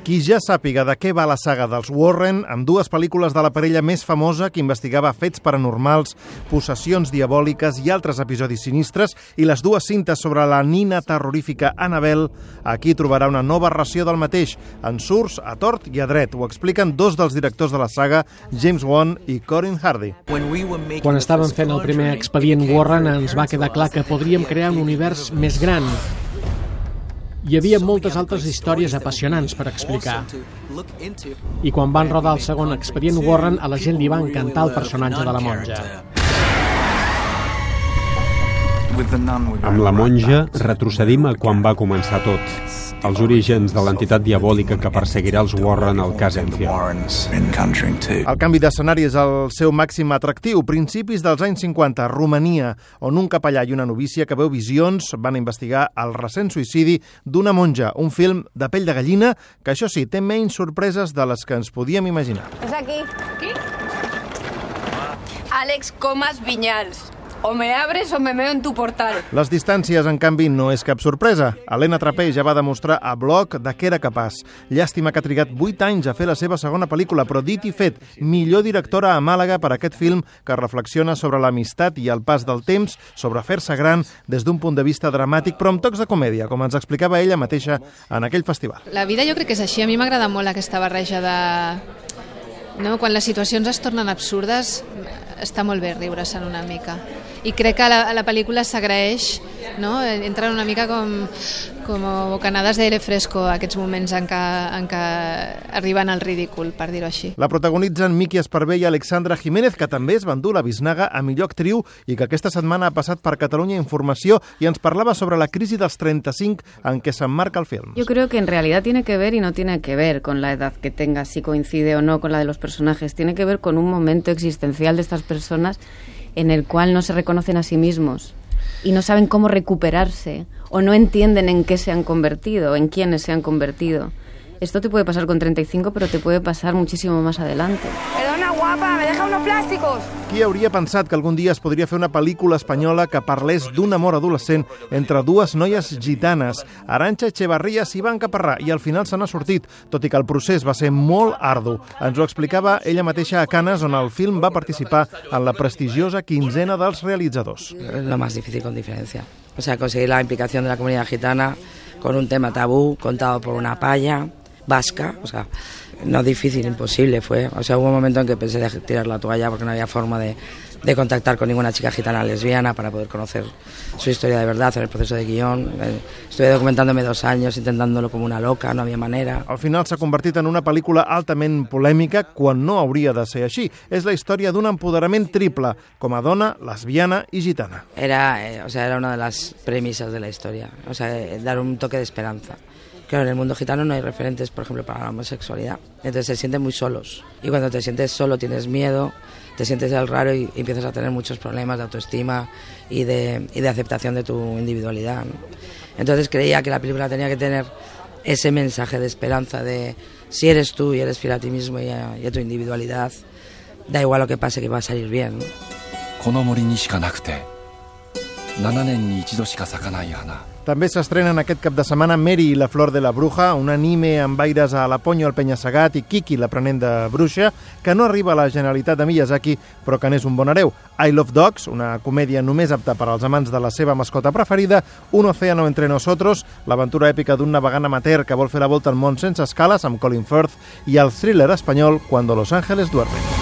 Qui ja sàpiga de què va la saga dels Warren, amb dues pel·lícules de la parella més famosa que investigava fets paranormals, possessions diabòliques i altres episodis sinistres, i les dues cintes sobre la nina terrorífica Annabelle, aquí trobarà una nova ració del mateix, en surts a tort i a dret. Ho expliquen dos dels directors de la saga, James Wan i Corin Hardy. Quan estàvem fent el primer expedient Warren ens va quedar clar que podríem crear un univers més gran. Hi havia moltes altres històries apassionants per explicar. I quan van rodar el segon expedient Warren, a la gent li va encantar el personatge de la monja. Amb la monja retrocedim a quan va començar tot, els orígens de l'entitat diabòlica que perseguirà els Warren al cas Enfield. El canvi d'escenari és el seu màxim atractiu. Principis dels anys 50, Romania, on un capellà i una novícia que veu visions van investigar el recent suïcidi d'una monja, un film de pell de gallina que, això sí, té menys sorpreses de les que ens podíem imaginar. És aquí. Aquí? Àlex Comas Vinyals. O me abres o me meo en tu portal. Les distàncies, en canvi, no és cap sorpresa. Helena Trapell ja va demostrar a Bloc de què era capaç. Llàstima que ha trigat 8 anys a fer la seva segona pel·lícula, però dit i fet, millor directora a Màlaga per aquest film que reflexiona sobre l'amistat i el pas del temps, sobre fer-se gran des d'un punt de vista dramàtic, però amb tocs de comèdia, com ens explicava ella mateixa en aquell festival. La vida jo crec que és així. A mi m'agrada molt aquesta barreja de... No? Quan les situacions es tornen absurdes, està molt bé riure-se'n una mica. I crec que a la pel·lícula s'agraeix, no? Entren una mica com bocanades d'aire fresco aquests moments en què arriben al ridícul, per dir-ho així. La protagonitzen Miki Esparvé i Alexandra Jiménez, que també es van dur la Biznaga a millor actriu i que aquesta setmana ha passat per Catalunya Informació i ens parlava sobre la crisi dels 35 en què s'emmarca el film. Yo creo que en realidad tiene que ver y no tiene que ver con la edad que tenga, si coincide o no con la de los personajes. Tiene que ver con un momento existencial de estas personas en el cual no se reconocen a sí mismos y no saben cómo recuperarse o no entienden en qué se han convertido, en quiénes se han convertido. Esto te puede pasar con 35, pero te puede pasar muchísimo más adelante. Perdona, guapa, me deja unos plásticos. Qui hauria pensat que algun dia es podria fer una pel·lícula espanyola que parlés d'un amor adolescent entre dues noies gitanes, Arantxa Echevarría i Iván Caparrà, i al final se n'ha sortit, tot i que el procés va ser molt ardu. Ens ho explicava ella mateixa a Canes, on el film va participar en la prestigiosa quinzena dels realitzadors. Lo más difícil con diferencia. O sea, conseguir la implicación de la comunidad gitana con un tema tabú, contado por una paya vasca, o sea, no difícil, imposible fue. O sea, hubo un momento en que pensé de tirar la toalla porque no había forma de contactar con ninguna chica gitana lesbiana para poder conocer su historia de verdad en el proceso de guión. Estuve documentándome 2 años, intentándolo como una loca, no havia manera. Al final s'ha convertit en una pel·lícula altament polèmica quan no hauria de ser així. És la història d'un empoderament triple, com a dona, lesbiana i gitana. Era una de las premisas de la historia, o sea, dar un toque de esperanza. Claro, en el mundo gitano no hay referentes, por ejemplo, para la homosexualidad. Entonces se sienten muy solos. Y cuando te sientes solo tienes miedo, te sientes el raro y empiezas a tener muchos problemas de autoestima y de aceptación de tu individualidad, ¿no? Entonces creía que la película tenía que tener ese mensaje de esperanza de si eres tú y eres fiel a ti mismo y a tu individualidad, da igual lo que pase, que va a salir bien, ¿no? この森にしかなくて7年に一度しか咲かない花. També s'estrenen aquest cap de setmana Mary i la flor de la bruja, un anime amb aires a La Ponyo, al Penya-Segat, i Kiki, l'aprenent de bruixa, que no arriba a la genialitat de Miyazaki, però que n'és un bon hereu. I Love Dogs, una comèdia només apta per als amants de la seva mascota preferida, Un océano entre nosotros, l'aventura èpica d'un navegant amateur que vol fer la volta al món sense escales, amb Colin Firth, i el thriller espanyol Cuando los ángeles duermen.